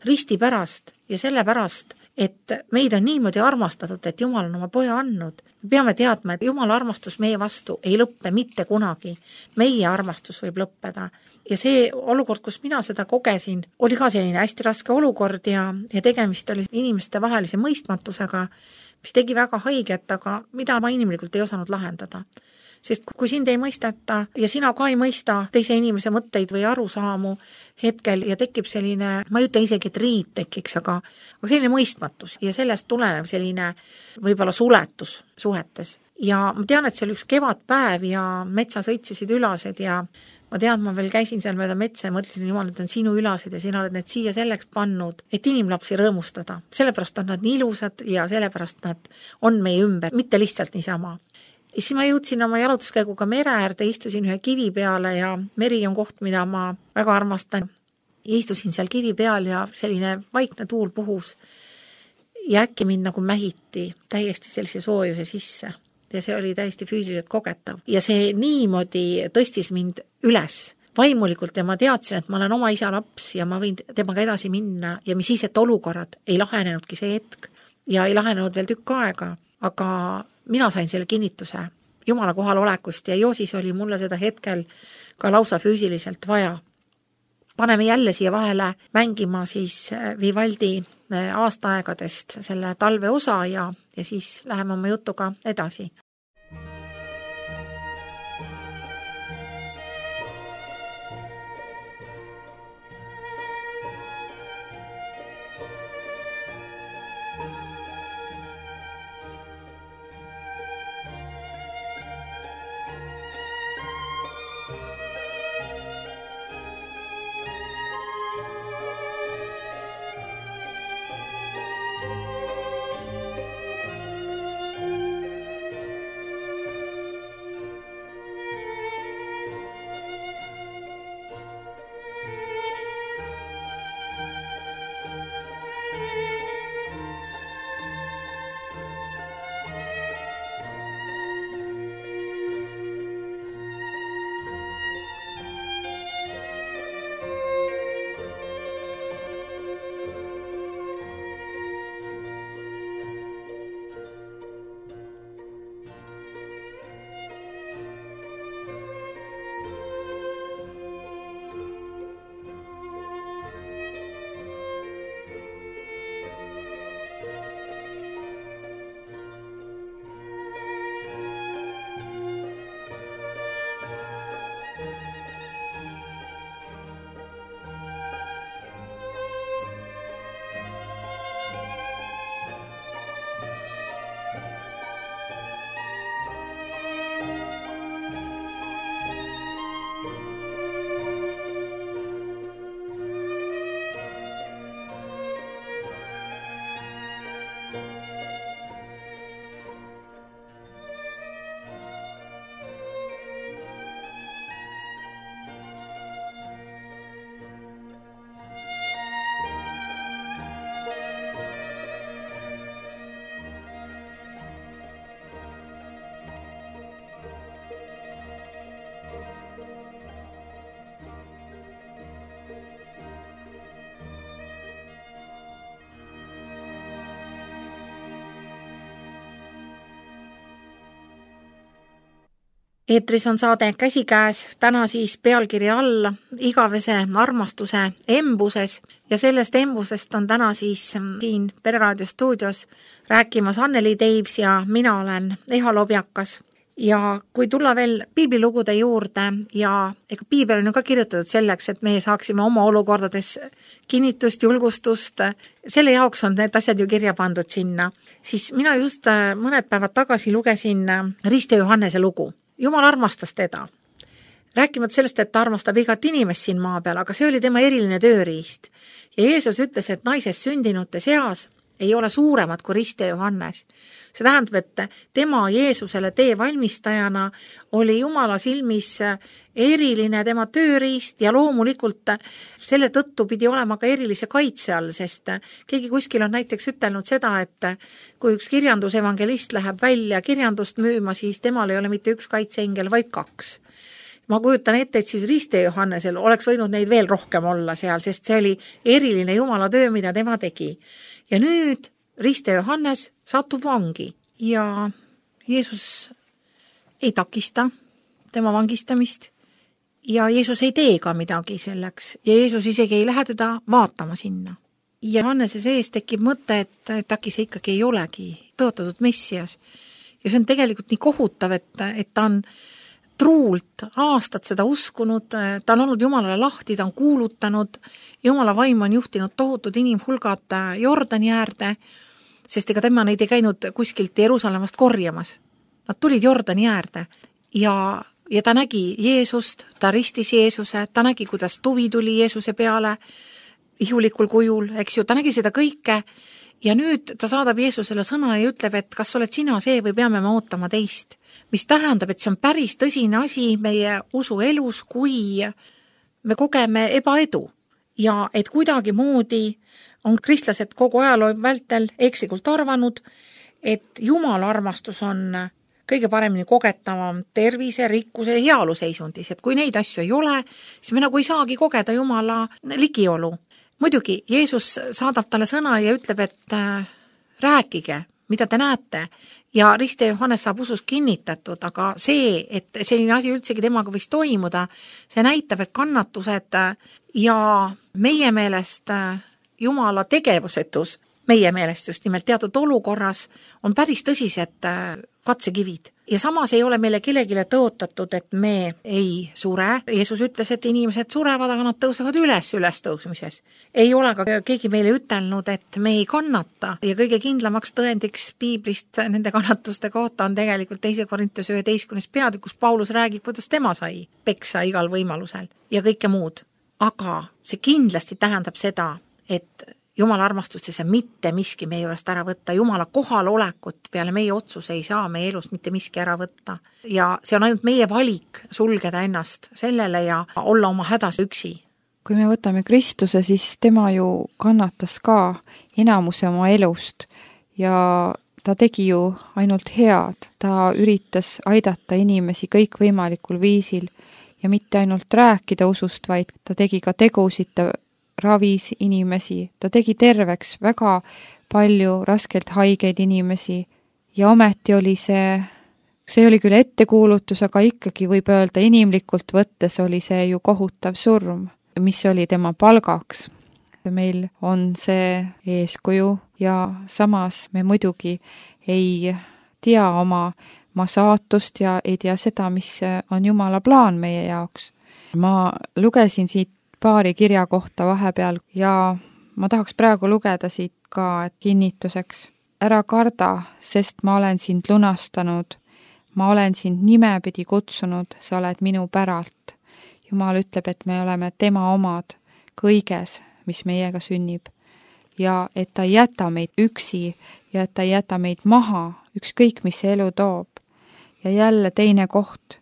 Risti pärast ja selle pärast, et meid on niimoodi armastatud, et Jumal on oma poja andnud. Me peame teadma, et Jumala armastus meie vastu ei lõppe mitte kunagi. Meie armastus võib lõppeda. Ja see olukord, kus mina seda kogesin, oli ka selline hästi raske olukord ja tegemist oli inimeste vahelise mõistmatusega, mis tegi väga haiget, aga mida ma inimlikult ei osanud lahendada. Sest kui sind ei mõisteta ja sina ka ei mõista teise inimese mõtteid või arusaamu hetkel ja tekib selline, ma ei ütle isegi, et riid tekiks, aga selline mõistmatus ja sellest tulenev selline võib-olla suletus suhetes. Ja ma tean, et see oli üks kevadpäev ja metsas õitsisid ülased ja ma tean, ma veel käisin seal mööda metsa ja mõtlesin, Jumal, et on sinu ülased ja sina oled need siia selleks pannud, et inimlapsi rõõmustada. Sellepärast on nad nii ilusad ja sellepärast nad on meie ümber, mitte lihtsalt niisama. Ja siis ma jõudsin oma jalutuskäiguga mere äärde, istusin ühe kivi peale ja meri on koht, mida ma väga armastan. Istusin seal kivi peal ja selline vaikne tuul puhus ja äkki mind nagu mähiti täiesti sellise soojuse sisse. Ja see oli täiesti füüsiliselt kogetav. Ja see niimoodi tõstis mind üles vaimulikult ja ma teadsin, et ma olen oma isa laps ja ma võin temaga edasi minna ja mis siis, et olukorrad ei lahenenudki see hetk ja ei lahenenud veel tükk aega, aga mina sain selle kinnituse Jumala kohalolekust ja Joosis oli mulle seda hetkel ka lausa füüsiliselt vaja. Paneme jälle siia vahele mängima siis Vivaldi aastaaegadest selle talve osa ja siis läheme oma jutuga edasi. eetris on saade Käsikäes, täna siis pealkirja all igavese armastuse embuses ja sellest embusest on täna siis siin Pereraadio stuudios rääkimas Anneli Teibs ja mina olen Eha Lobjakas. Ja kui tulla veel piiblilugude juurde ja ega piibel on ju ka kirjutatud selleks, et meie saaksime oma olukordades kinnitust, julgustust, selle jaoks on need asjad ju kirja pandud sinna, siis mina just mõned päevad tagasi lugesin Riste Johannese lugu. Jumal armastas teda. Rääkimata sellest, et ta armastab igat inimest siin maa peal, aga see oli tema eriline tööriist. Ja Jeesus ütles, et naisest sündinute seas ei ole suuremad kui Riste Johannes. See tähendab, et tema Jeesusele tee valmistajana oli Jumala silmis eriline tema tööriist ja loomulikult selle tõttu pidi olema ka erilise kaitse all, sest keegi kuskil on näiteks ütelnud seda, et kui üks kirjandusevangelist läheb välja kirjandust müüma, siis temal ei ole mitte üks kaitseengel, vaid 2. Ma kujutan ette, et siis Riste Johannesel oleks võinud neid veel rohkem olla seal, sest see oli eriline Jumala töö, mida tema tegi. Ja nüüd Riste Johannes satub vangi ja Jeesus ei takista tema vangistamist ja Jeesus ei tee ka midagi selleks ja Jeesus isegi ei lähe teda vaatama sinna. Ja Johannese sees tekib mõte, et äkki see ikkagi ei olegi tõotatud Messias. Ja see on tegelikult nii kohutav, et ta on truult aastat seda uskunud, ta on olnud Jumalale lahti, ta on kuulutanud, Jumala vaim on juhtinud tohutud inimhulgad Jordani äärde, sest ega tema neid ei käinud kuskilt Jeruusalemmast korjamas. Nad tulid Jordani äärde ja ta nägi Jeesust, ta ristis Jeesuse, ta nägi, kuidas tuvi tuli Jeesuse peale ihulikul kujul, eks ju, ta nägi seda kõike ja nüüd ta saadab Jeesusele sõna ja ütleb, et kas oled sina see või peame me ootama teist. Mis tähendab, et see on päris tõsine asi meie usuelus, kui me kogeme ebaedu ja et kuidagi moodi on kristlased kogu ajaloo vältel ekslikult arvanud, et Jumala armastus on kõige paremini kogetavam tervise, rikkuse ja heaolu seisundis, et kui neid asju ei ole, siis me nagu ei saagi kogeda Jumala ligiolu. Muidugi, Jeesus saadab talle sõna ja ütleb, et rääkige, mida te näete ja Riste Johannes saab usus kinnitatud, aga see, et selline asi üldsegi temaga võiks toimuda, see näitab, et kannatused ja meie meelest Jumala tegevusetus, meie meelest just nimelt teatud olukorras on päris tõsised katsekivid. Ja samas ei ole meile kellegile tõotatud, et me ei sure. Jeesus ütles, et inimesed surevad, aga nad tõusevad ülestõusmises. Ei ole ka keegi meile ütelnud, et me ei kannata ja kõige kindlamaks tõendiks piiblist nende kannatuste kohta on tegelikult 2. Korintuse 11. peatükk, kus Paulus räägib, kuidas tema sai peksa igal võimalusel ja kõike muud. Aga see kindlasti tähendab seda, et Jumala armastust ja mitte miski meie juurest ära võtta. Jumala kohalolekut peale meie otsuse ei saa meie elust mitte miski ära võtta. Ja see on ainult meie valik sulgeda ennast sellele ja olla oma hädas üksi. Kui me võtame Kristuse, siis tema ju kannatas ka enamuse oma elust ja ta tegi ju ainult head. Ta üritas aidata inimesi kõikvõimalikul viisil ja mitte ainult rääkida usust, vaid ta tegi ka tegusid, ta ravis inimesi, ta tegi terveks väga palju raskelt haigeid inimesi ja ometi oli see oli küll ettekuulutus, aga ikkagi võib öelda inimlikult võttes oli see ju kohutav surm, mis oli tema palgaks. Meil on see eeskuju ja samas me muidugi ei tea oma saatust ja ei tea seda, mis on Jumala plaan meie jaoks. Ma lugesin siit paari kirja kohta vahepeal ja ma tahaks praegu lugeda siit ka kinnituseks. Ära karda, sest ma olen sind lunastanud, ma olen sind nimepidi kutsunud, sa oled minu päralt. Jumal ütleb, et me oleme tema omad kõiges, mis meiega sünnib ja et ta ei jäta meid üksi ja et ta ei jäta meid maha, ükskõik mis see elu toob. Ja jälle teine koht.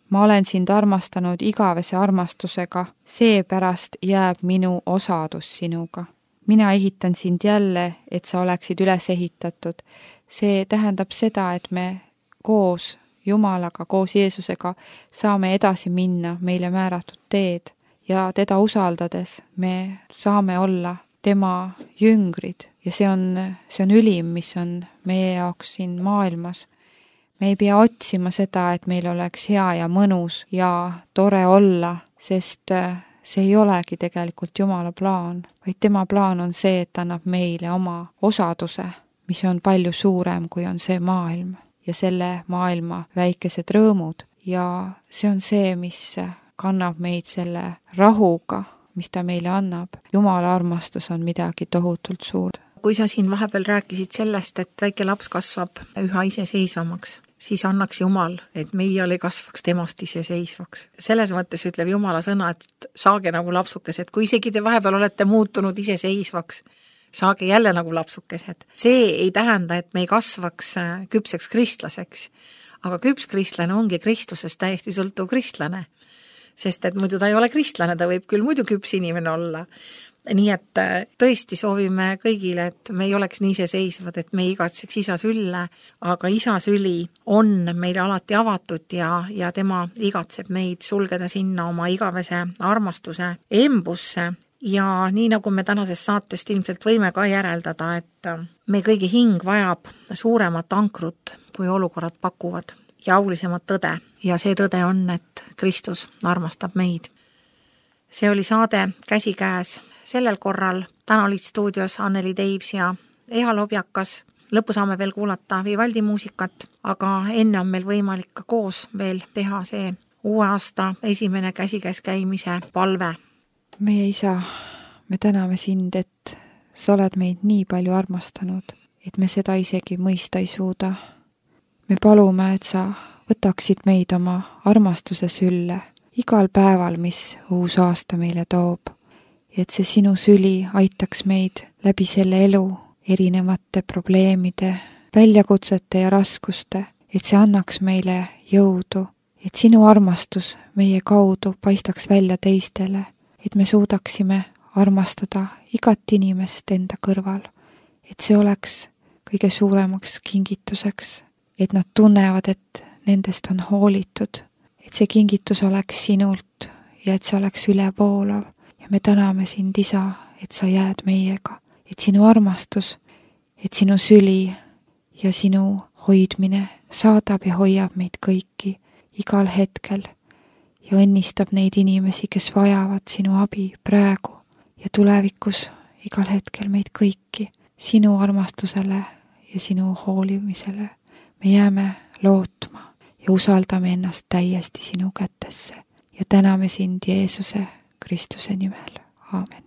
Ma olen sind armastanud igavese armastusega, seepärast jääb minu osadus sinuga. Mina ehitan sind jälle, et sa oleksid üles ehitatud. See tähendab seda, et me koos Jumalaga, koos Jeesusega saame edasi minna meile määratud teed ja teda usaldades me saame olla tema jüngrid ja see on ülim, mis on meie jaoks siin maailmas. me ei pea otsima seda, et meil oleks hea ja mõnus ja tore olla, sest see ei olegi tegelikult Jumala plaan, vaid tema plaan on see, et ta annab meile oma osaduse, mis on palju suurem, kui on see maailm ja selle maailma väikesed rõõmud. Ja see on see, mis kannab meid selle rahuga, mis ta meile annab. Jumala armastus on midagi tohutult suurt. Kui sa siin vahepeal rääkisid sellest, et väike laps kasvab üha iseseisvamaks, siis annaks Jumal, et meie ei kasvaks temast iseseisvaks. Selles mõttes ütleb Jumala sõna, et saage nagu lapsukesed, kui isegi te vahepeal olete muutunud iseseisvaks, saage jälle nagu lapsukesed. See ei tähenda, et me ei kasvaks küpseks kristlaseks, aga küps kristlane ongi Kristusest täiesti sõltuv kristlane, sest et muidu ta ei ole kristlane, ta võib küll muidu küps inimene olla. Nii et tõesti soovime kõigile, et me ei oleks nii iseseisvad, et me ei igatseks isa sülle, aga isa süli on meile alati avatud ja tema igatseb meid sulgeda sinna oma igavese armastuse embusse. Ja nii nagu me tänasest saatest ilmselt võime ka järeldada, et me kõigi hing vajab suuremat ankrut, kui olukorrad pakuvad ja aulisemat tõde. Ja see tõde on, et Kristus armastab meid. See oli saade Käsikäes. Sellel korral täna olid stuudios Anneli Teivs ja Eha Lobjakas. Lõppu saame veel kuulata Vivaldi muusikat, aga enne on meil võimalik ka koos veel teha see uue aasta esimene käsikäes käimise palve. Meie isa, me täname sind, et sa oled meid nii palju armastanud, et me seda isegi mõista ei suuda. Me palume, et sa võtaksid meid oma armastuse sülle igal päeval, mis uus aasta meile toob. Et see sinu süli aitaks meid läbi selle elu erinevate probleemide, väljakutsete ja raskuste, et see annaks meile jõudu, et sinu armastus meie kaudu paistaks välja teistele, et me suudaksime armastada igat inimest enda kõrval, et see oleks kõige suuremaks kingituseks, et nad tunnevad, et nendest on hoolitud, et see kingitus oleks sinult ja et see oleks ülevoolav. Ja me täname sind, isa, et sa jääd meiega, et sinu armastus, et sinu süli ja sinu hoidmine saadab ja hoiab meid kõiki igal hetkel ja õnnistab neid inimesi, kes vajavad sinu abi praegu ja tulevikus igal hetkel meid kõiki sinu armastusele ja sinu hoolimisele. Me jääme lootma ja usaldame ennast täiesti sinu kätesse ja täname sind Jeesuse Kristuse nimel. Aamen.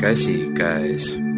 Käsikäes.